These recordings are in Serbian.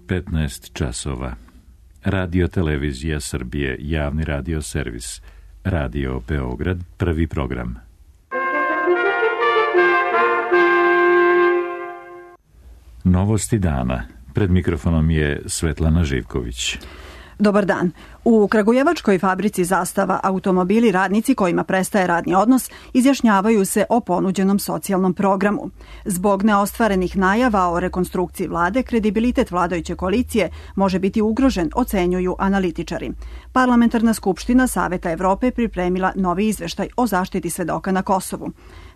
15 časova. Radio Televizija Srbije, javni radio servis. Radio Beograd, prvi program. Novosti dana. Pred mikrofonom je Svetlana Živković. Dobar dan. U kragujevačkoj fabrici Zastava automobili radnici kojima prestaje radni odnos izjašnjavaju se o ponuđenom socijalnom programu. Zbog neostvarenih najava o rekonstrukciji vlade, kredibilitet vladajuće koalicije može biti ugrožen, ocenjuju analitičari. Parlamentarna skupština Saveta Evrope pripremila novi izveštaj o zaštiti svedoka na Kosovu.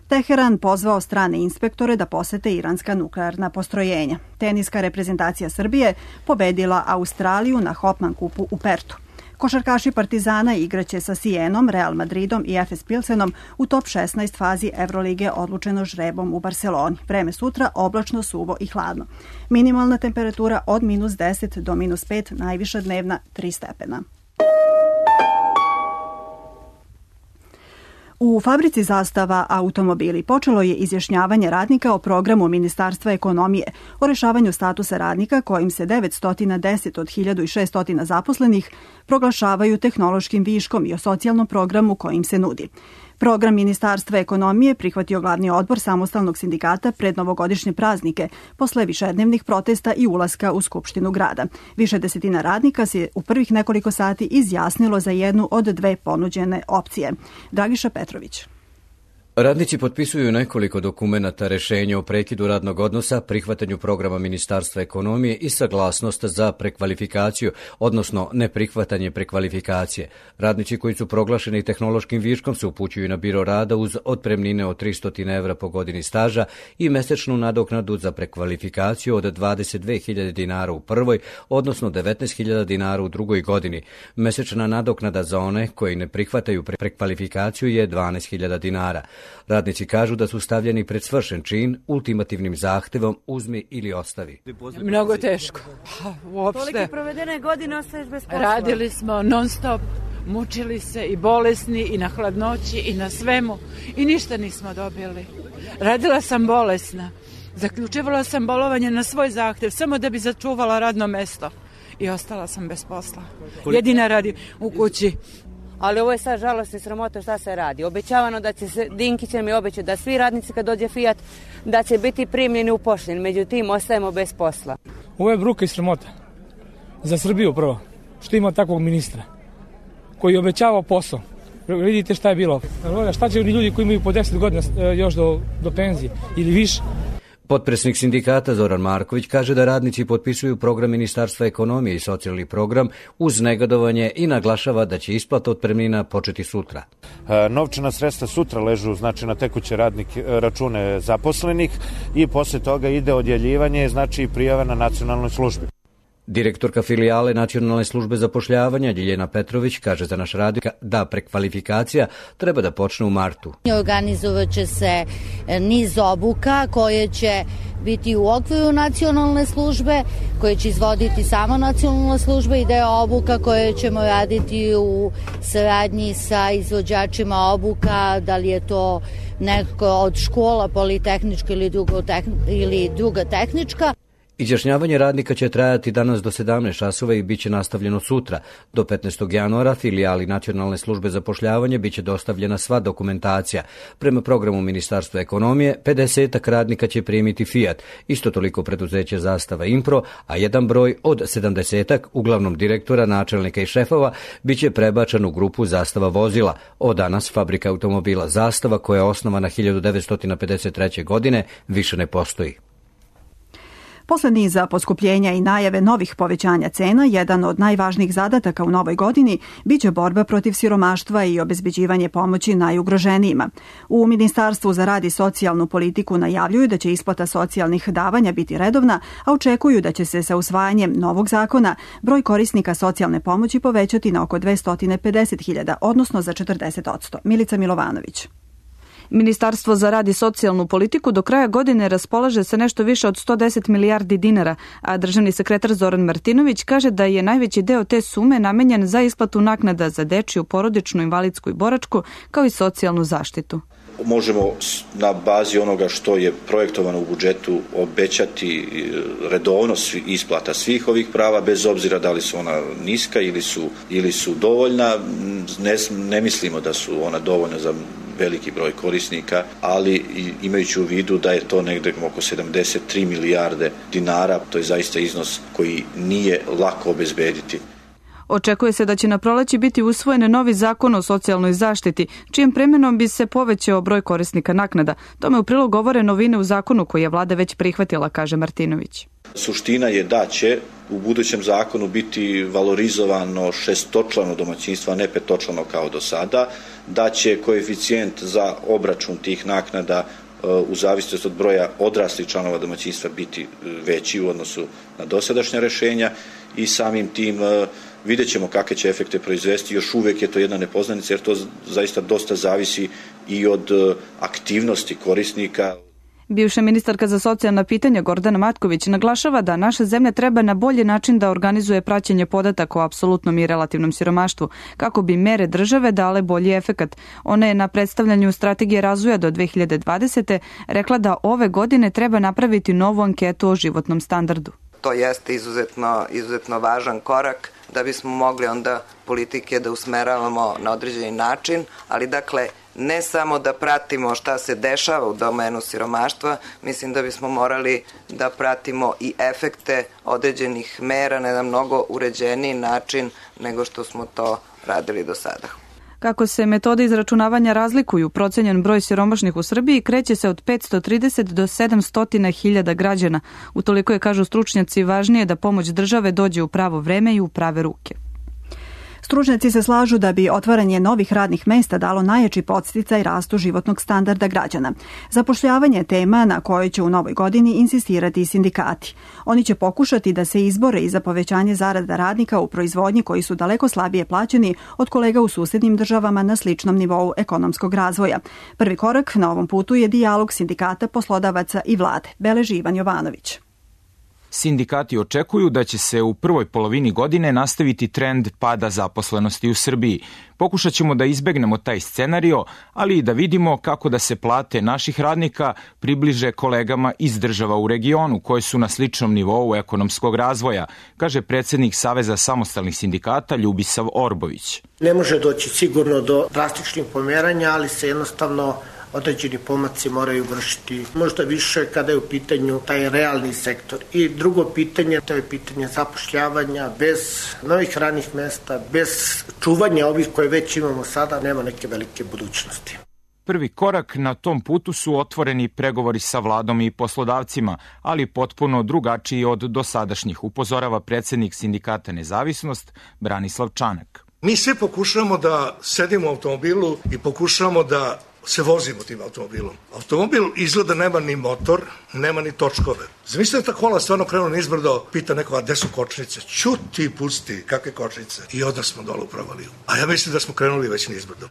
Teheran pozvao strane inspektore da posete iranska nuklearna postrojenja. Teniska reprezentacija Srbije pobedila Australiju na Hopman kupu u Pertu. Košarkaši Partizana igraće sa Sienom, Real Madridom i Efes Pilsenom u top 16 fazi Evrolige odlučeno žrebom u Barseloni. Vreme sutra oblačno, suvo i hladno. Minimalna temperatura od -10 do -5, najviša dnevna 3 stepena. U fabrici Zastava automobili počelo je izjašnjavanje radnika o programu Ministarstva ekonomije o rešavanju statusa radnika kojim se 910 od 1600 zaposlenih proglašavaju tehnološkim viškom i o socijalnom programu kojim se nudi. Program Ministarstva ekonomije prihvatio glavni odbor samostalnog sindikata pred novogodišnje praznike, posle višednevnih protesta i ulaska u Skupštinu grada. Više desetina radnika se u prvih nekoliko sati izjasnilo za jednu od dve ponuđene opcije. Dragiša Petrović. Radnici potpisuju nekoliko dokumenata, rešenja o prekidu radnog odnosa, prihvatanju programa Ministarstva ekonomije i saglasnost za prekvalifikaciju, odnosno neprihvatanje prekvalifikacije. Radnici koji su proglašeni tehnološkim viškom se upućuju na biro rada uz otpremnine od 300 evra po godini staža i mesečnu nadoknadu za prekvalifikaciju od 22.000 dinara u prvoj, odnosno 19.000 dinara u drugoj godini. Mesečna nadoknada za one koji ne prihvataju prekvalifikaciju je 12.000 dinara. Radnici kažu da su stavljeni pred svršen čin ultimativnim zahtevom uzmi ili ostavi. Mnogo teško. Uopšte. Kolike provedene godine ostaješ bez posla? Radili smo non stop, mučili se i bolesni i na hladnoći i na svemu i ništa nismo dobili. Radila sam bolesna. Zaključivala sam bolovanje na svoj zahtev samo da bi začuvala radno mesto i ostala sam bez posla. Jedina radim u kući. Ali ovo je sad žalost i sramota šta se radi. Obećavano da će se, Dinkić nam je obećao da svi radnici kad dođe Fiat da će biti primljeni u pošten. Međutim, ostajemo bez posla. Ovo je bruka i sramota. Za Srbiju prvo. Što ima takvog ministra koji je obećavao posao. Vidite šta je bilo. Šta će ljudi koji imaju po 10 godina još do penzije ili više? Potpredsjednik sindikata Zoran Marković kaže da radnici potpisuju program Ministarstva ekonomije i socijalni program uz negodovanje i naglašava da će isplata otpremnina početi sutra. Novčana sredstva sutra ležu na tekuće račune zaposlenih i posle toga ide odjeljivanje, i prijava na nacionalnoj službi. Direktorka filijale Nacionalne službe zapošljavanja Ljiljana Petrović kaže za naš radio da prekvalifikacija treba da počne u martu. Organizovat će se niz obuka koje će biti u okviru nacionalne službe, koje će izvoditi samo nacionalna služba i deo obuka koje ćemo raditi u saradnji sa izvođačima obuka, da li je to neko od škola politehnička ili druga tehnička. Izjašnjavanje radnika će trajati danas do 17 časova i bit će nastavljeno sutra. Do 15. januara filijali Nacionalne službe zapošljavanja bit će dostavljena sva dokumentacija. Prema programu Ministarstva ekonomije, 50 radnika će primiti Fiat, isto toliko preduzeće Zastava Impro, a jedan broj od 70, uglavnom direktora, načelnika i šefova, bit će prebačan u grupu Zastava vozila. Od danas fabrika automobila Zastava, koja je osnovana 1953. godine, više ne postoji. Posle niza poskupljenja i najave novih povećanja cena, jedan od najvažnijih zadataka u novoj godini biće borba protiv siromaštva i obezbeđivanje pomoći najugroženijima. U Ministarstvu za rad i socijalnu politiku najavljuju da će isplata socijalnih davanja biti redovna, a očekuju da će se sa usvajanjem novog zakona broj korisnika socijalne pomoći povećati na oko 250.000, odnosno za 40%. Milica Milovanović. Ministarstvo za rad i socijalnu politiku do kraja godine raspolaže sa nešto više od 110 milijardi dinara, a državni sekretar Zoran Martinović kaže da je najveći deo te sume namenjen za isplatu naknada za dečiju, porodičnu, invalidsku i boračku, kao i socijalnu zaštitu. možemo na bazi onoga što je projektovano u budžetu obećati redovnost isplata svih ovih prava, bez obzira da li su ona niska ili su dovoljna. Ne mislimo da su ona dovoljna za veliki broj korisnika, ali imajući u vidu da je to negde oko 73 milijarde dinara, to je zaista iznos koji nije lako obezbediti. Očekuje se da će na proleće biti usvojen novi zakon o socijalnoj zaštiti, čijim primenom bi se povećao broj korisnika naknada. Tome u prilog govore novine u zakonu koji je vlada već prihvatila, kaže Martinović. Suština je da će u budućem zakonu biti valorizovano šestočlano domaćinstvo, a ne petočlano kao do sada, da će koeficijent za obračun tih naknada u zavisnosti od broja odraslih članova domaćinstva biti veći u odnosu na dosadašnja rešenja i samim tim vidjet ćemo kakve će efekte proizvesti. Još uvek je to jedna nepoznanica jer to zaista dosta zavisi i od aktivnosti korisnika. Bivša ministarka za socijalna pitanja Gordana Matković naglašava da naša zemlja treba na bolji način da organizuje praćenje podataka o apsolutnom i relativnom siromaštvu, kako bi mere države dale bolji efekat. Ona je na predstavljanju strategije razvoja do 2020. rekla da ove godine treba napraviti novu anketu o životnom standardu. To jeste izuzetno važan korak da bismo mogli onda politike da usmeravamo na određeni način, ali dakle ne samo da pratimo šta se dešava u domenu siromaštva, mislim da bismo morali da pratimo i efekte određenih mera na jedan mnogo uređeniji način nego što smo to radili do sada. Kako se metode izračunavanja razlikuju, procenjen broj siromašnih u Srbiji kreće se od 530 do 700.000 građana. Utoliko je, kažu stručnjaci, važnije da pomoć države dođe u pravo vreme i u prave ruke. Stručnjaci se slažu da bi otvaranje novih radnih mesta dalo najjači podsticaj rastu životnog standarda građana. Zapošljavanje je tema na kojoj će u novoj godini insistirati i sindikati. Oni će pokušati da se izbore i za povećanje zarada radnika u proizvodnji koji su daleko slabije plaćeni od kolega u susednim državama na sličnom nivou ekonomskog razvoja. Prvi korak na ovom putu je dijalog sindikata, poslodavaca i vlade, beleži Ivan Jovanović. Sindikati očekuju da će se u prvoj polovini godine nastaviti trend pada zaposlenosti u Srbiji. Pokušat ćemo da izbegnemo taj scenario, ali i da vidimo kako da se plate naših radnika približe kolegama iz država u regionu koje su na sličnom nivou ekonomskog razvoja, kaže predsjednik Saveza samostalnih sindikata Ljubisav Orbović. Ne može doći sigurno do drastičnih pomeranja, ali se jednostavno određeni pomaci moraju vršiti možda više kada je u pitanju taj realni sektor. I drugo pitanje, to je pitanje zapošljavanja. Bez novih radnih mesta, bez čuvanja ovih koje već imamo sada, nema neke velike budućnosti. Prvi korak na tom putu su otvoreni pregovori sa vladom i poslodavcima, ali potpuno drugačiji od dosadašnjih, upozorava predsjednik sindikata Nezavisnost Branislav Čanak. Mi sve pokušamo da sedimo u automobilu i pokušamo da se vozimo tim automobilom. Automobil izgleda nema ni motor, nema ni točkove. Zamislite da ta kola stvarno krenu nizbrdo, pita neko, a gde su kočnice? Ćuti, pusti, kakve kočnice? I onda smo dole u Provaliju. A ja mislim da smo krenuli već nizbrdo.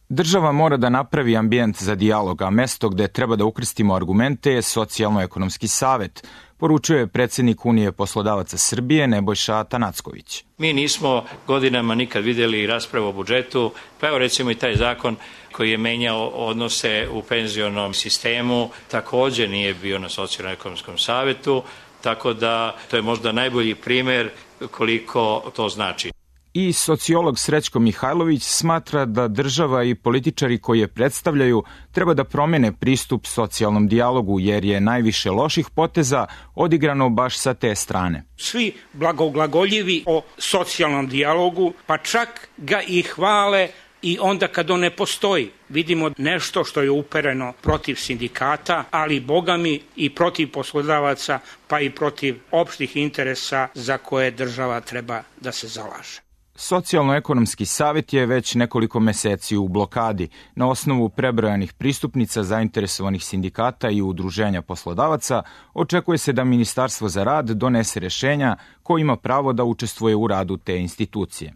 Država mora da napravi ambijent za dijalog, a mesto gde treba da ukrstimo argumente je Socijalno-ekonomski savet, poručuje predsjednik Unije poslodavaca Srbije Nebojša Atanacković. Mi nismo godinama nikad vidjeli raspravu o budžetu, pa evo recimo i taj zakon koji je menjao odnose u penzionom sistemu, također nije bio na Socijalno-ekonomskom savetu, tako da to je možda najbolji primjer koliko to znači. I sociolog Srećko Mihajlović smatra da država i političari koji je predstavljaju treba da promene pristup socijalnom dijalogu, jer je najviše loših poteza odigrano baš sa te strane. Svi blagoglagoljivi o socijalnom dijalogu, pa čak ga i hvale i onda kad on ne postoji. Vidimo nešto što je upereno protiv sindikata, ali bogami i protiv poslodavaca, pa i protiv opštih interesa za koje država treba da se zalaže. Socijalno-ekonomski savet je već nekoliko meseci u blokadi. Na osnovu prebrojanih pristupnica zainteresovanih sindikata i udruženja poslodavaca očekuje se da Ministarstvo za rad donese rešenja ko ima pravo da učestvuje u radu te institucije.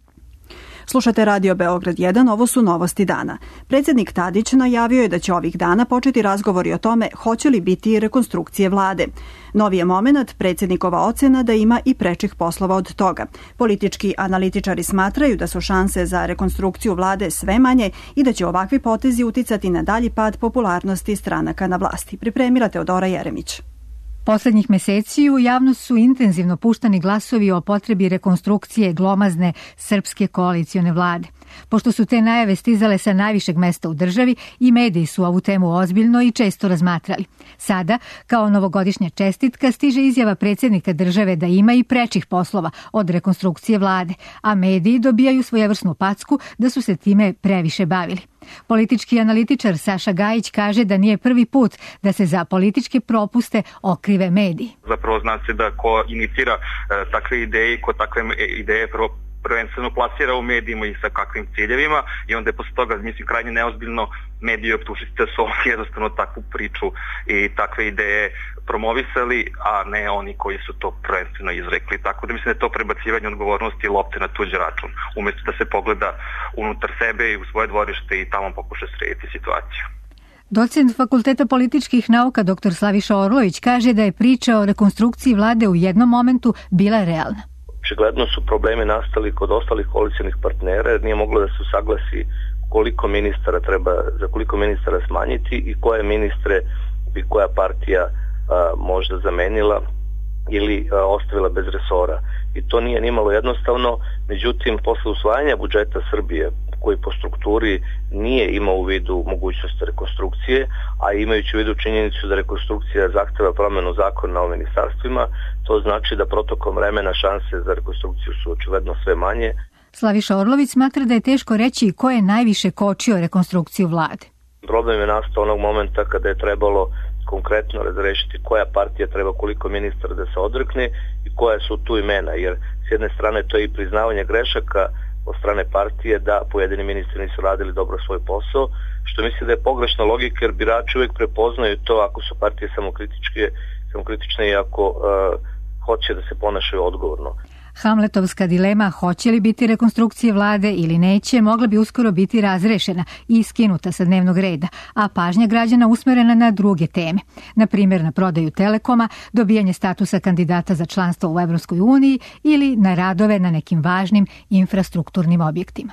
Slušate Radio Beograd 1, ovo su novosti dana. Predsjednik Tadić najavio je da će ovih dana početi razgovori o tome hoće li biti rekonstrukcije vlade. Novi je moment predsjednikova ocena da ima i prečih poslova od toga. Politički analitičari smatraju da su šanse za rekonstrukciju vlade sve manje i da će ovakvi potezi uticati na dalji pad popularnosti stranaka na vlasti. Pripremila Teodora Jeremić. Poslednjih meseci u javnost su intenzivno puštani glasovi o potrebi rekonstrukcije glomazne srpske koalicione vlade. Pošto su te najave stizale sa najvišeg mesta u državi i mediji su ovu temu ozbiljno i često razmatrali. Sada, kao novogodišnja čestitka, stiže izjava predsjednika države da ima i prečih poslova od rekonstrukcije vlade, a mediji dobijaju svojevrsnu packu da su se time previše bavili. Politički analitičar Saša Gajić kaže da nije prvi put da se za političke propuste okrive mediji. Zapravo zna se da ko inicira takve ideje i ko takve ideje prvenstveno plasira u medijima i sa kakvim ciljevima i onda je posle toga, mislim, krajnje neozbiljno mediji optužiti da su jednostavno takvu priču i takve ideje promovisali, a ne oni koji su to prvenstveno izrekli. Tako da mislim da je to prebacivanje odgovornosti i lopte na tuđi račun, umjesto da se pogleda unutar sebe i u svoje dvorište i tamo pokuša srediti situaciju. Docent Fakulteta političkih nauka dr. Slaviša Orlović kaže da je priča o rekonstrukciji vlade u jednom momentu bila realna. Očigledno su problemi nastali kod ostalih koalicionih partnera jer nije moglo da se usaglasi za koliko ministara smanjiti i koje ministre bi koja partija možda zamenila ili ostavila bez resora. I to nije nimalo jednostavno, međutim posle usvajanja budžeta Srbije koji po strukturi nije imao u vidu mogućnost rekonstrukcije, a imajući u vidu činjenicu da rekonstrukcija zahteva promenu zakona o ministarstvima, to znači da protokom vremena šanse za rekonstrukciju su očigledno sve manje. Slaviša Orlović smatra da je teško reći ko je najviše kočio rekonstrukciju vlade. Problem je nastao onog momenta kada je trebalo konkretno razrešiti koja partija treba koliko ministara da se odrekne i koja su tu imena, jer s jedne strane to je i priznavanje grešaka od strane partije da pojedini ministri nisu radili dobro svoj posao, što mislim da je pogrešna logika jer birači uvijek prepoznaju to ako su partije samokritične i ako hoće da se ponašaju odgovorno. Hamletovska dilema hoće li biti rekonstrukcije vlade ili neće mogla bi uskoro biti razrešena i skinuta sa dnevnog reda, a pažnja građana usmerena na druge teme, na primjer na prodaju Telekoma, dobijanje statusa kandidata za članstvo u Evropskoj uniji ili na radove na nekim važnim infrastrukturnim objektima.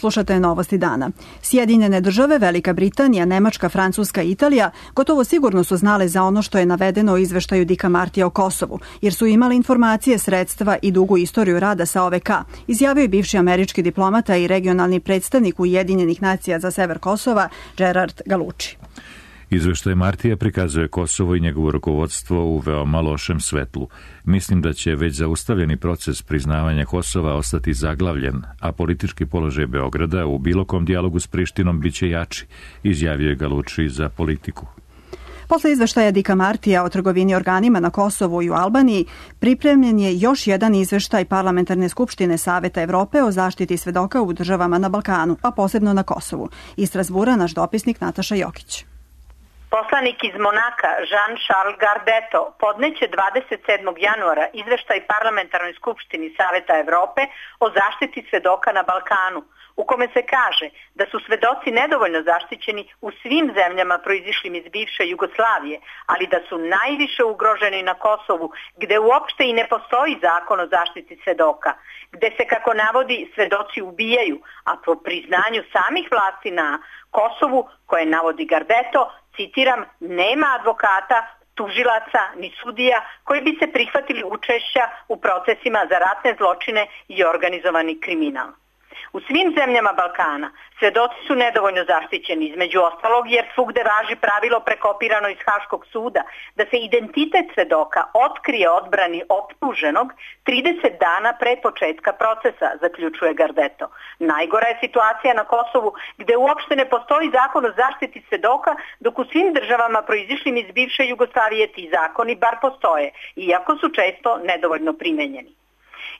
Slušate novosti dana. Sjedinjene države, Velika Britanija, Nemačka, Francuska i Italija gotovo sigurno su znale za ono što je navedeno u izveštaju Dicka Martija o Kosovu, jer su imali informacije, sredstva i dugu istoriju rada sa OVK, izjavio je bivši američki diplomata i regionalni predstavnik Ujedinjenih nacija za sever Kosova, Gerard Galucci. Izveštaj Martija prikazuje Kosovo i njegovo rukovodstvo u veoma lošem svetlu. Mislim da će već zaustavljeni proces priznavanja Kosova ostati zaglavljen, a politički položaj Beograda u bilo kom dijalogu s Prištinom biće jači, izjavio je Galucci za Politiku. Posle izveštaja Dicka Martija o trgovini organima na Kosovu i u Albaniji, pripremljen je još jedan izveštaj Parlamentarne skupštine Saveta Evrope o zaštiti svedoka u državama na Balkanu, a posebno na Kosovu. Iz Strasbura naš dopisnik Nataša Jokić. Poslanik iz Monaka, Jean-Charles Gardeto, podneće 27. januara izveštaj Parlamentarnoj skupštini Saveta Evrope o zaštiti svedoka na Balkanu, u kome se kaže da su svedoci nedovoljno zaštićeni u svim zemljama proizišlim iz bivše Jugoslavije, ali da su najviše ugroženi na Kosovu, gde uopšte i ne postoji zakon o zaštiti svedoka, gde se, kako navodi, svedoci ubijaju, a po priznanju samih vlasti na Kosovu, koje navodi Gardeto, citiram, nema advokata, tužilaca ni sudija koji bi se prihvatili učešća u procesima za ratne zločine i organizovani kriminal. U svim zemljama Balkana svedoci su nedovoljno zaštićeni, između ostalog jer svugde važi pravilo prekopirano iz Haškog suda da se identitet svedoka otkrije odbrani optuženog 30 dana pre početka procesa, zaključuje Gardeto. Najgora je situacija na Kosovu gde uopšte ne postoji zakon o zaštiti svedoka, dok u svim državama proizišlim iz bivše Jugoslavije ti zakoni bar postoje, iako su često nedovoljno primenjeni.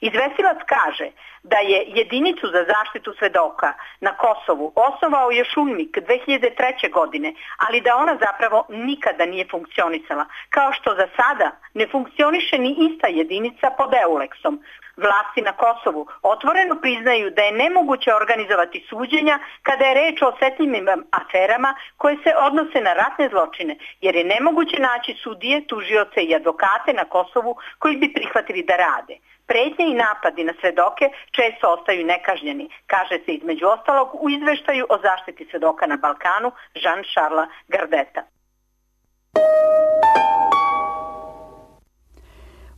Izvestilac kaže, da je jedinicu za zaštitu svedoka na Kosovu osnovao još UNMIK 2003. godine, ali da ona zapravo nikada nije funkcionisala, kao što za sada ne funkcioniše ni ista jedinica pod EULEX-om. Vlasti na Kosovu otvoreno priznaju da je nemoguće organizovati suđenja kada je reč o osetljivim aferama koje se odnose na ratne zločine, jer je nemoguće naći sudije, tužioce i advokate na Kosovu koji bi prihvatili da rade. Pretnje i napadi na svedoke često ostaju nekažnjeni, kaže se između ostalog u izveštaju o zaštiti svedoka na Balkanu Jean-Charlesa Gardeta.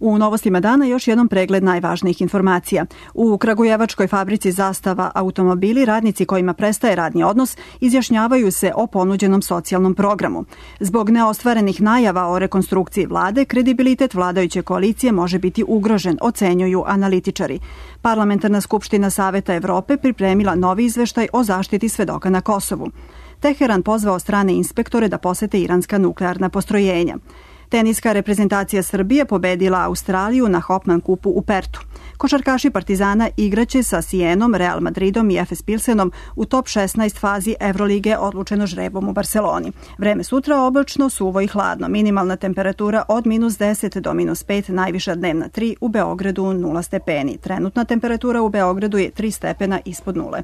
U novostima dana još jednom pregled najvažnijih informacija. U kragujevačkoj fabrici Zastava automobili radnici kojima prestaje radni odnos izjašnjavaju se o ponuđenom socijalnom programu. Zbog neostvarenih najava o rekonstrukciji vlade, kredibilitet vladajuće koalicije može biti ugrožen, ocenjuju analitičari. Parlamentarna skupština Saveta Evrope pripremila novi izveštaj o zaštiti svedoka na Kosovu. Teheran pozvao strane inspektore da posete iranska nuklearna postrojenja. Teniska reprezentacija Srbije pobedila Australiju na Hopman kupu u Pertu. Košarkaši Partizana igraće sa Sienom, Real Madridom i Efes Pilsenom u top 16 fazi Evrolige odlučeno žrebom u Barseloni. Vreme sutra oblačno, suvo i hladno. Minimalna temperatura od -10 do -5, najviša dnevna 3, u Beogradu 0 stepeni. Trenutna temperatura u Beogradu je 3 stepena ispod nule.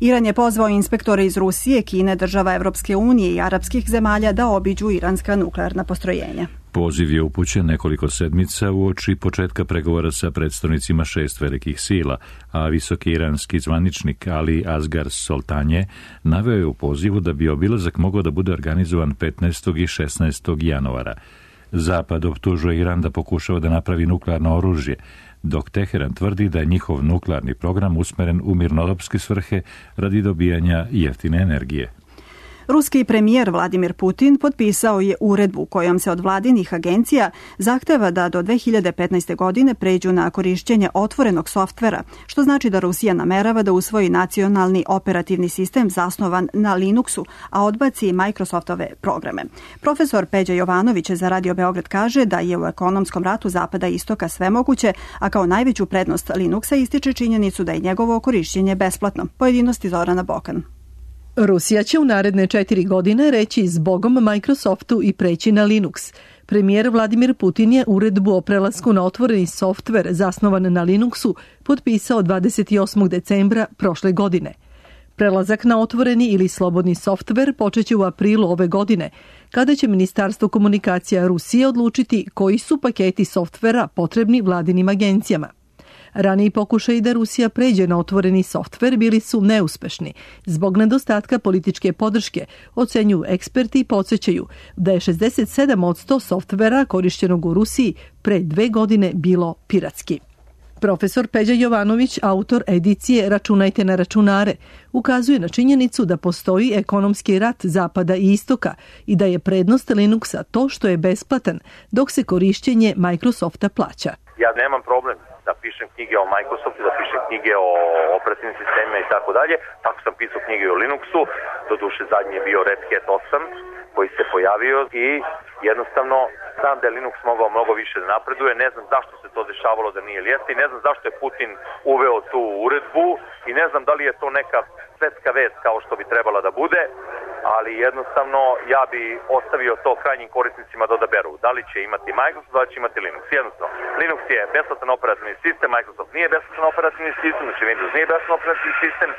Iran je pozvao inspektore iz Rusije, Kine, država Evropske unije i arapskih zemalja da obiđu iranska nuklearna postrojenja. Poziv je upućen nekoliko sedmica uoči početka pregovora sa predstavnicima 6 velikih sila, a visoki iranski zvaničnik Ali Asghar Soltanje naveo je u pozivu da bi obilazak mogao da bude organizovan 15. i 16. januara. Zapad optužuje Iran da pokušava da napravi nuklearno oružje, dok Teheran tvrdi da je njihov nuklearni program usmeren u mirnodopske svrhe radi dobijanja jeftine energije. Ruski premijer Vladimir Putin potpisao je uredbu kojom se od vladinih agencija zahteva da do 2015. godine pređu na korišćenje otvorenog softvera, što znači da Rusija namerava da usvoji nacionalni operativni sistem zasnovan na Linuxu, a odbaci Microsoftove programe. Profesor Peđa Jovanović za Radio Beograd kaže da je u ekonomskom ratu Zapada i Istoka sve moguće, a kao najveću prednost Linuxa ističe činjenicu da je njegovo korišćenje besplatno. Pojedinosti Zorana Bokan. Rusija će u naredne 4 godine reći zbogom Microsoftu i preći na Linux. Premijer Vladimir Putin je uredbu o prelasku na otvoreni softver zasnovan na Linuxu potpisao 28. decembra prošle godine. Prelazak na otvoreni ili slobodni softver počeće u aprilu ove godine, kada će Ministarstvo komunikacija Rusije odlučiti koji su paketi softvera potrebni vladinim agencijama. Raniji pokušaji da Rusija pređe na otvoreni softver bili su neuspešni zbog nedostatka političke podrške, ocenjuju eksperti i podsjećaju da je 67% softvera korišćenog u Rusiji pre 2 godine bilo piratski. Profesor Peđa Jovanović, autor edicije Računajte na računare, ukazuje na činjenicu da postoji ekonomski rat Zapada i Istoka i da je prednost Linuxa to što je besplatan, dok se korišćenje Microsofta plaća. Ja nemam problem da pišem knjige o Microsoftu, da pišem knjige o operativnim sistemima i tako dalje. Tako sam pisao knjige o Linuxu, doduše zadnji je bio Red Hat 8 koji se pojavio i jednostavno znam da je Linux mogao mnogo više da napreduje, ne znam zašto se to dešavalo da nije lijeste i ne znam zašto je Putin uveo tu uredbu i ne znam da li je to neka svetska vest kao što bi trebala da bude, ali jednostavno ja bi ostavio to krajnjim korisnicima da odaberu. Da li će imati Microsoft, da li će imati Linux. Jednostavno, Linux je besplatan operativni sistem, Microsoft nije besplatan operativni sistem, znači Windows nije besplatan operativni sistem.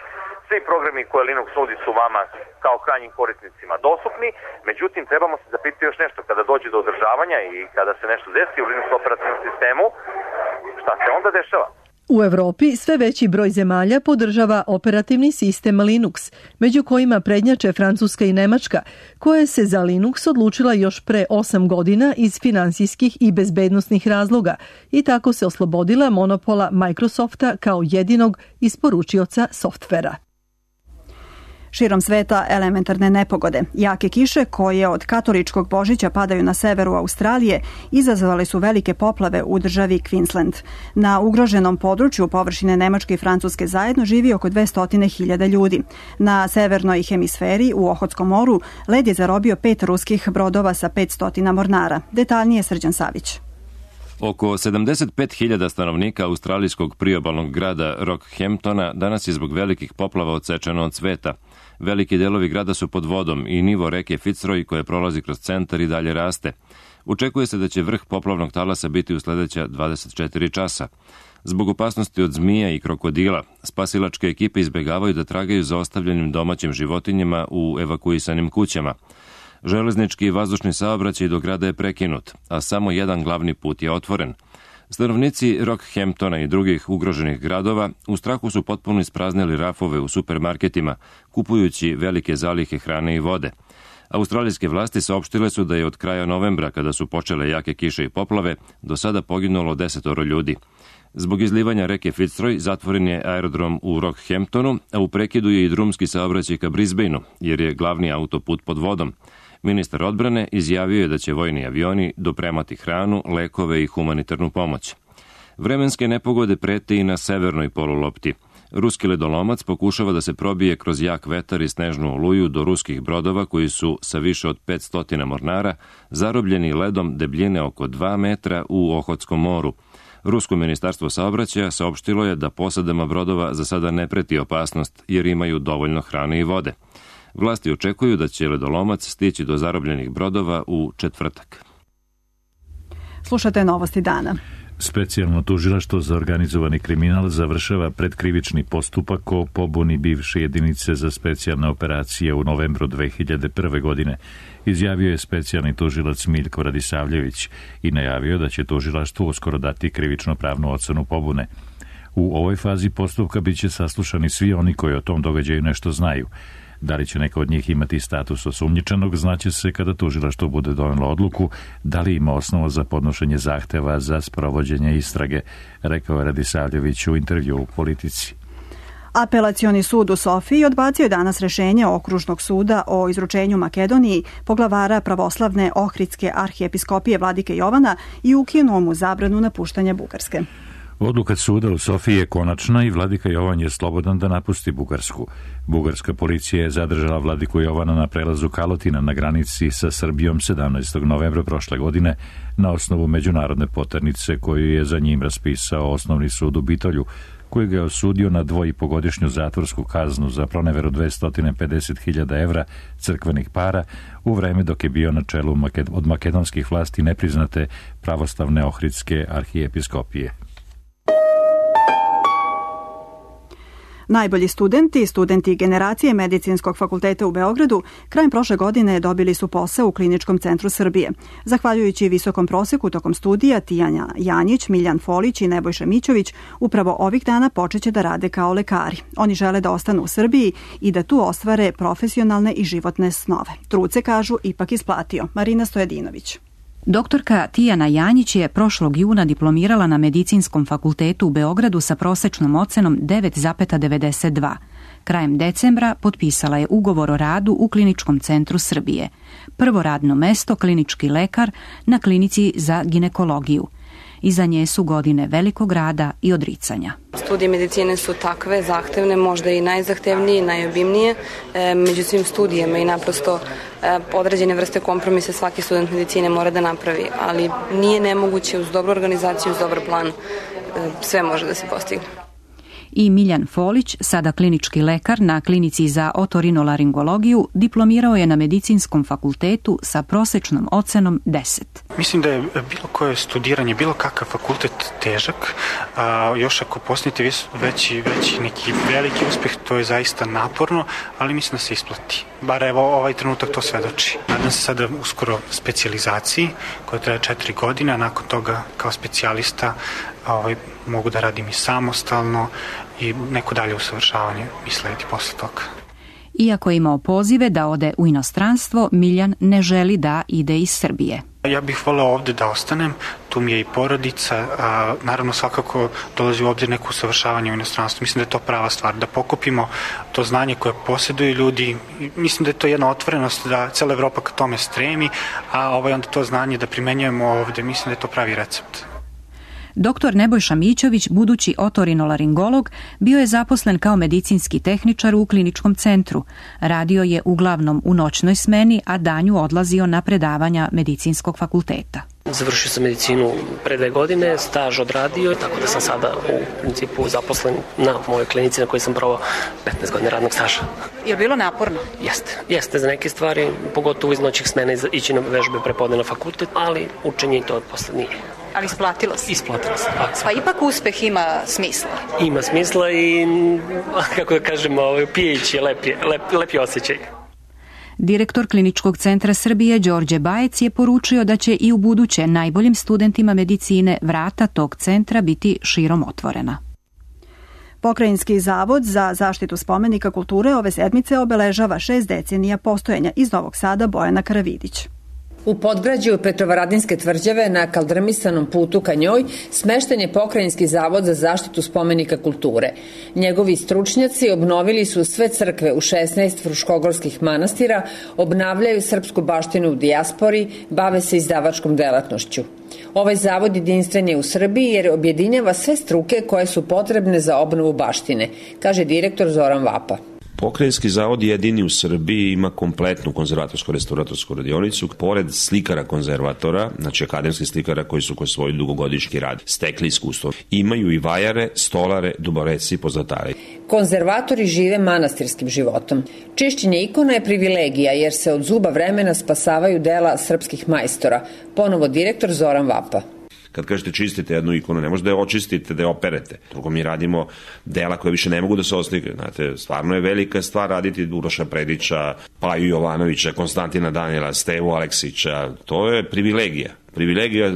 Svi programi koje Linux nudi su vama kao krajnjim korisnicima dostupni, međutim trebamo se zapitati još nešto. Kada dođe do održavanja i kada se nešto desi u Linux operativnom sistemu, šta se onda dešava? U Evropi sve veći broj zemalja podržava operativni sistem Linux, među kojima prednjače Francuska i Nemačka, koja se za Linux odlučila još pre 8 godina iz finansijskih i bezbednosnih razloga i tako se oslobodila monopola Microsofta kao jedinog isporučioca softvera. Širom sveta elementarne nepogode. Jake kiše koje od katoličkog Božića padaju na severu Australije izazvale su velike poplave u državi Queensland. Na ugroženom području površine Nemačke i Francuske zajedno živi oko 200.000 ljudi. Na severnoj hemisferi u Ohotskom moru led je zarobio 5 ruskih brodova sa 500 mornara. Detaljnije Srđan Savić. Oko 75.000 stanovnika australijskog priobalnog grada Rockhamptona danas je zbog velikih poplava odsečeno od sveta. Veliki delovi grada su pod vodom i nivo reke Fitzroy koja prolazi kroz centar i dalje raste. Očekuje se da će vrh poplavnog talasa biti u sledeća 24 časa. Zbog opasnosti od zmija i krokodila, spasilačke ekipe izbegavaju da tragaju za ostavljenim domaćim životinjama u evakuisanim kućama. Železnički i vazdušni saobraćaj do grada je prekinut, a samo jedan glavni put je otvoren. Stanovnici Rockhamptona i drugih ugroženih gradova u strahu su potpuno ispraznili rafove u supermarketima, kupujući velike zalihe hrane i vode. Australijske vlasti saopštile su da je od kraja novembra, kada su počele jake kiše i poplave, do sada poginulo 10 ljudi. Zbog izlivanja reke Fitzroy zatvoren je aerodrom u Rockhamptonu, a u prekidu je i drumski saobraćaj ka Brisbaneu, jer je glavni autoput pod vodom. Ministar odbrane izjavio je da će vojni avioni dopremati hranu, lekove i humanitarnu pomoć. Vremenske nepogode prete i na severnoj polulopti. Ruski ledolomac pokušava da se probije kroz jak vetar i snežnu oluju do ruskih brodova koji su sa više od 500 mornara zarobljeni ledom debljine oko 2 metra u Ohotskom moru. Rusko ministarstvo saobraćaja saopštilo je da posadama brodova za sada ne preti opasnost jer imaju dovoljno hrane i vode. Vlasti očekuju da će ledolomac stići do zarobljenih brodova u četvrtak. Slušate novosti dana. Specijalno tužilaštvo za organizovani kriminal završava predkrivični postupak o pobuni bivše jedinice za specijalne operacije u novembru 2001. godine, izjavio je specijalni tužilac Miljko Radisavljević i najavio da će tužilaštvo uskoro dati krivično-pravnu ocenu pobune. U ovoj fazi postupka biće saslušani svi oni koji o tom događaju nešto znaju. Da li će neko od njih imati status osumnjičenog, znaće se kada tužilaštvo bude donelo odluku da li ima osnova za podnošenje zahteva za sprovođenje istrage, rekao je Radisavljević u intervju u Politici. Apelacioni sud u Sofiji odbacio je danas rešenje Okružnog suda o izručenju Makedoniji poglavara pravoslavne Ohridske arhijepiskopije vladike Jovana i ukinuo mu zabranu napuštanja Bugarske. Odluka suda u Sofiji je konačna i vladika Jovan je slobodan da napusti Bugarsku. Bugarska policija je zadržala vladiku Jovana na prelazu Kalotina na granici sa Srbijom 17. novembra prošle godine na osnovu međunarodne poternice koju je za njim raspisao Osnovni sud u Bitolju, koji ga je osudio na 2,5-godišnju zatvorsku kaznu za proneveru 250.000 evra crkvenih para u vreme dok je bio na čelu od makedonskih vlasti nepriznate pravoslavne Ohridske arhijepiskopije. Najbolji studenti generacije Medicinskog fakulteta u Beogradu krajem prošle godine dobili su posao u Kliničkom centru Srbije. Zahvaljujući visokom proseku tokom studija, Tijana Janjić, Miljan Folić i Nebojša Mićović upravo ovih dana počeće da rade kao lekari. Oni žele da ostanu u Srbiji i da tu ostvare profesionalne i životne snove. Trud se, kažu, ipak isplatio. Marina Stojadinović. Doktorka Tijana Janjić je prošlog juna diplomirala na Medicinskom fakultetu u Beogradu sa prosečnom ocenom 9,92. Krajem decembra potpisala je ugovor o radu u Kliničkom centru Srbije. Prvo radno mesto klinički lekar na klinici za ginekologiju. Iza nje su godine velikog rada i odricanja. Studije medicine su takve, zahtevne, možda i najzahtevnije i najobimnije među svim studijama i naprosto određene vrste kompromise svaki student medicine mora da napravi, ali nije nemoguće uz dobru organizaciju, uz dobar plan, sve može da se postigne. I Miljan Folić, sada klinički lekar na klinici za otorinolaringologiju, diplomirao je na Medicinskom fakultetu sa prosečnom ocenom 10. Mislim da je bilo koje studiranje, bilo kakav fakultet težak, još ako postanete veći neki veliki uspeh, to je zaista naporno, ali mislim da se isplati. Bar evo ovaj trenutak to svedoči. Nadam se sada uskoro specijalizaciji koja traje 4 godine, a nakon toga kao specijalista mogu da radim i samostalno i neko dalje usavršavanje mi sledi posle toga. Iako je imao pozive da ode u inostranstvo, Miljan ne želi da ide iz Srbije. Ja bih voleo ovde da ostanem, tu mi je i porodica, naravno svakako dolazi u obzir neko usavršavanje u inostranstvu. Mislim da je to prava stvar, da pokupimo to znanje koje posjeduju ljudi. Mislim da je to jedna otvorenost da cela Evropa ka tome stremi, a onda to znanje da primenjujemo ovde, mislim da je to pravi recept. Doktor Nebojša Mićović, budući otorinolaringolog, bio je zaposlen kao medicinski tehničar u kliničkom centru. Radio je uglavnom u noćnoj smeni, a danju odlazio na predavanja Medicinskog fakulteta. Završio sam medicinu pre 2 godine, staž odradio, tako da sam sada u principu zaposlen na mojoj klinici na kojoj sam provao 15 godina radnog staža. Je li bilo naporno? Jeste za neke stvari, pogotovo iz noćih smena ići na vežbe prepodne na fakultet, ali učenje i to posle nije. Ali isplatilo se? Isplatilo se. Pa ipak uspeh ima smisla. Ima smisla i, kako da kažemo, pijeći je lepi osjećaj. Direktor Kliničkog centra Srbije Đorđe Bajec je poručio da će i u buduće najboljim studentima medicine vrata tog centra biti širom otvorena. Pokrajinski zavod za zaštitu spomenika kulture ove sedmice obeležava 6 decenija postojanja. Iz Novog Sada Bojana Karavidić. U podgrađu Petrovaradinske tvrđave na kaldrmisanom putu ka njoj smešten je Pokrajinski zavod za zaštitu spomenika kulture. Njegovi stručnjaci obnovili su sve crkve u 16 fruškogorskih manastira, obnavljaju srpsku baštinu u dijaspori, bave se izdavačkom delatnošću. Ovaj zavod jedinstven je u Srbiji jer objedinjava sve struke koje su potrebne za obnovu baštine, kaže direktor Zoran Vapa. Pokrajinski zavod jedini u Srbiji ima kompletnu konzervatorsko-restauratorsku radionicu. Pored slikara konzervatora, znači akademskih slikara koji su kroz svoj dugogodišnji rad stekli iskustvo, imaju i vajare, stolare, duboreci i pozlatare. Konzervatori žive manastirskim životom. Čišćenje ikona je privilegija jer se od zuba vremena spasavaju dela srpskih majstora. Ponovo direktor Zoran Vapa. Kad kažete čistite jednu ikonu, ne možete da je očistite, da je operete. Drugo, mi radimo dela koje više ne mogu da se oslikaju. Znate, stvarno je velika stvar raditi Uroša Predića, Paju Jovanovića, Konstantina Danijela, Stevu Aleksića. To je privilegija. Privilegija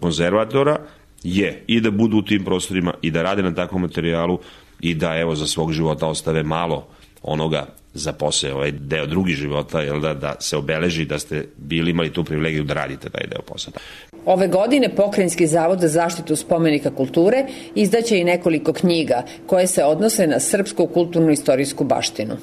konzervatora je i da budu u tim prostorima i da rade na takvom materijalu i da evo za svog života ostave malo onoga za posao, ovaj deo drugi života, da se obeleži da ste imali tu privilegiju da radite taj deo posla. Ove godine Pokrajinski zavod za zaštitu spomenika kulture izdaće i nekoliko knjiga koje se odnose na srpsku kulturno-istorijsku baštinu.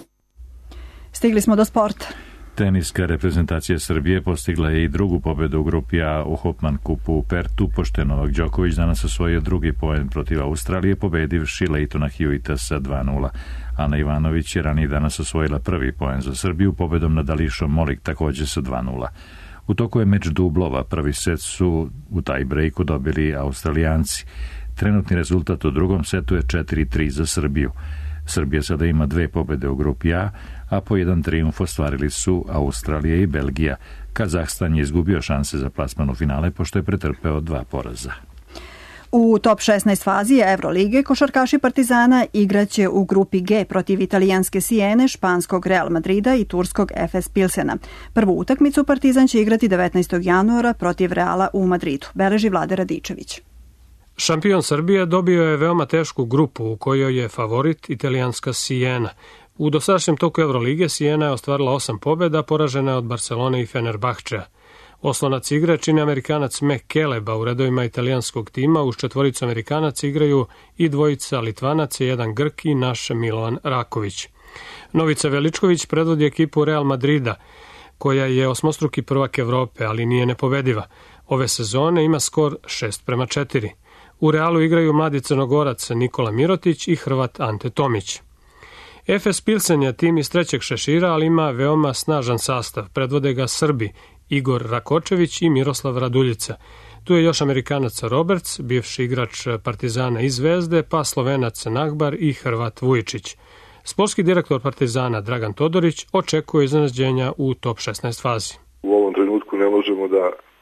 Stigli smo do sporta. Teniska reprezentacija Srbije postigla je i drugu pobedu u grupi A u Hopman kupu u Pertu, pošto je Novak Đoković danas osvojio drugi poen protiv Australije, pobedivši Leitona Hewita sa 2:0. Ana Ivanović je ranije danas osvojila prvi poen za Srbiju pobedom nad Ališom Molik takođe sa 2:0. U toku je meč dublova, prvi set su u taj breaku dobili Australijanci. Trenutni rezultat u drugom setu je 4:3 za Srbiju. Srbija sada ima 2 pobede u grupi a po 1 trijumf ostvarili su Australija i Belgija. Kazahstan je izgubio šanse za plasman u finale pošto je pretrpeo 2 poraza. U top 16 fazi Evrolige košarkaši Partizana igraće u grupi G protiv italijanske Siene, španskog Real Madrida i turskog Efes Pilsena. Prvu utakmicu Partizan će igrati 19. januara protiv Reala u Madridu, beleži Vlade Radičević. Šampion Srbije dobio je veoma tešku grupu u kojoj je favorit italijanska Siena. U dosadašnjem toku Evrolige Siena je ostvarila 8 pobjeda, poražena je od Barcelone i Fenerbahčea. Oslonac igre čini Amerikanac McKeleba u redovima italijanskog tima, uz 4 Amerikanaca igraju i 2 Litvanaca, 1 Grk i naš Milovan Raković. Novica Veličković predvodi ekipu Real Madrida, koja je osmostruki prvak Evrope, ali nije nepobediva. Ove sezone ima skor 6:4. U Realu igraju mladi Crnogorac Nikola Mirotić i Hrvat Ante Tomić. Efes Pilsen je tim iz 3. šešira, ali ima veoma snažan sastav. Predvode ga Srbi Igor Rakočević i Miroslav Raduljica. Tu je još Amerikanac Roberts, bivši igrač Partizana i Zvezde, pa Slovenac Nagbar i Hrvat Vujičić. Sportski direktor Partizana Dragan Todorić očekuje iznenađenja u top 16 fazi. U ovom trenutku ne možemo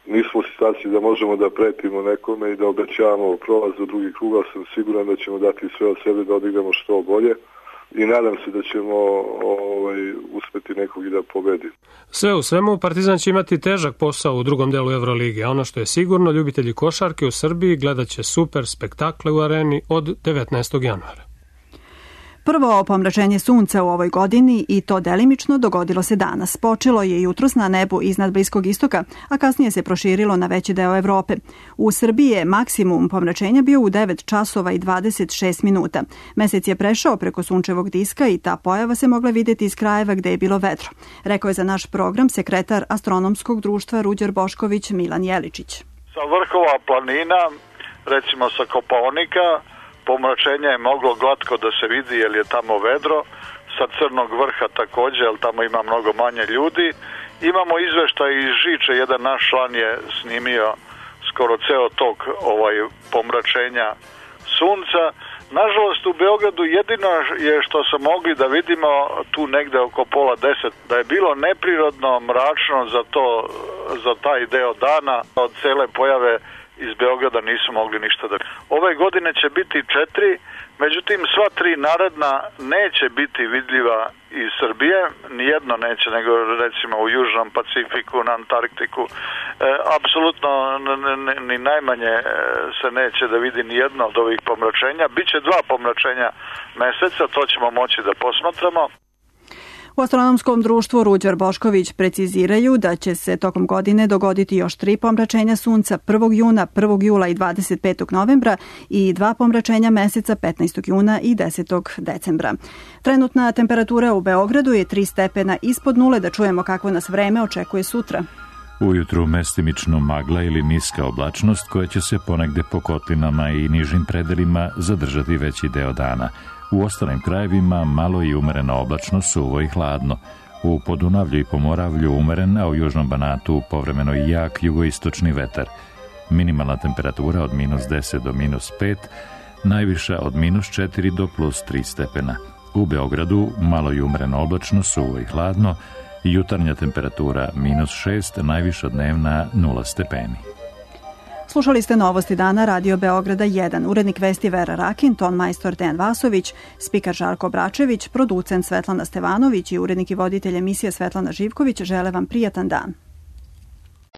nismo u situaciji da možemo da pretimo nekome i da obećavamo prolaz do drugih kruga. Sam siguran da ćemo dati sve od sebe da odigramo što bolje i nadam se da ćemo uspeti nekog i da pobedi. Sve u svemu, Partizan će imati težak posao u drugom delu Evrolige, a ono što je sigurno, ljubitelji košarke u Srbiji gledat će super spektakle u areni od 19. januara. Prvo pomračenje sunca u ovoj godini, i to delimično, dogodilo se danas. Počelo je jutros na nebu iznad Bliskog istoka, a kasnije se proširilo na veći deo Evrope. U Srbiji je maksimum pomračenja bio u 9 časova i 26 minuta. Mesec je prešao preko sunčevog diska i ta pojava se mogla vidjeti iz krajeva gde je bilo vedro. Rekao je za naš program sekretar Astronomskog društva Ruđer Bošković Milan Jeličić. Sa vrhova planina, recimo sa Kopaonika, pomračenje je moglo glatko da se vidi jer je tamo vedro, sa Crnog vrha također, jer tamo ima mnogo manje ljudi. Imamo izveštaj iz Žiče, jedan naš član je snimio skoro ceo tok pomračenja sunca. Nažalost, u Beogradu jedino je što smo mogli da vidimo tu negde oko 9:30 da je bilo neprirodno mračno za taj deo dana. Od cele pojave iz Beograda nisu mogli ništa da... Ove godine će biti 4, međutim sva 3 naredna neće biti vidljiva iz Srbije, nijedno neće, nego recimo u Južnom Pacifiku, na Antarktiku. Apsolutno ni najmanje se neće da vidi nijedno od ovih pomračenja. Biće 2 pomračenja meseca, to ćemo moći da posmatramo. U astronomskom društvu Ruđer Bošković preciziraju da će se tokom godine dogoditi još 3 pomračenja sunca 1. juna, 1. jula i 25. novembra i 2 pomračenja meseca 15. juna i 10. decembra. Trenutna temperatura u Beogradu je 3 stepena ispod nule. Da čujemo kako nas vreme očekuje sutra. Ujutru mestimično magla ili niska oblačnost koja će se ponegde po kotlinama i nižim predelima zadržati veći deo dana. U ostalim krajevima malo i umerena oblačno, suvo i hladno. U Podunavlju i Pomoravlju umeren, a u Južnom Banatu povremeno i jak jugoistočni vetar. Minimalna temperatura od -10 do -5, najviša od -4 do +3 stepena. U Beogradu malo i umereno oblačno, suvo i hladno, jutarnja temperatura -6, najviša dnevna 0 stepeni. Slušali ste Novosti dana Radio Beograda 1. Urednik vesti Vera Rakin, ton majstor Dejan Vasović, spikar Žarko Bračević, producent Svetlana Stevanović i urednik i voditelj emisije Svetlana Živković žele vam prijatan dan.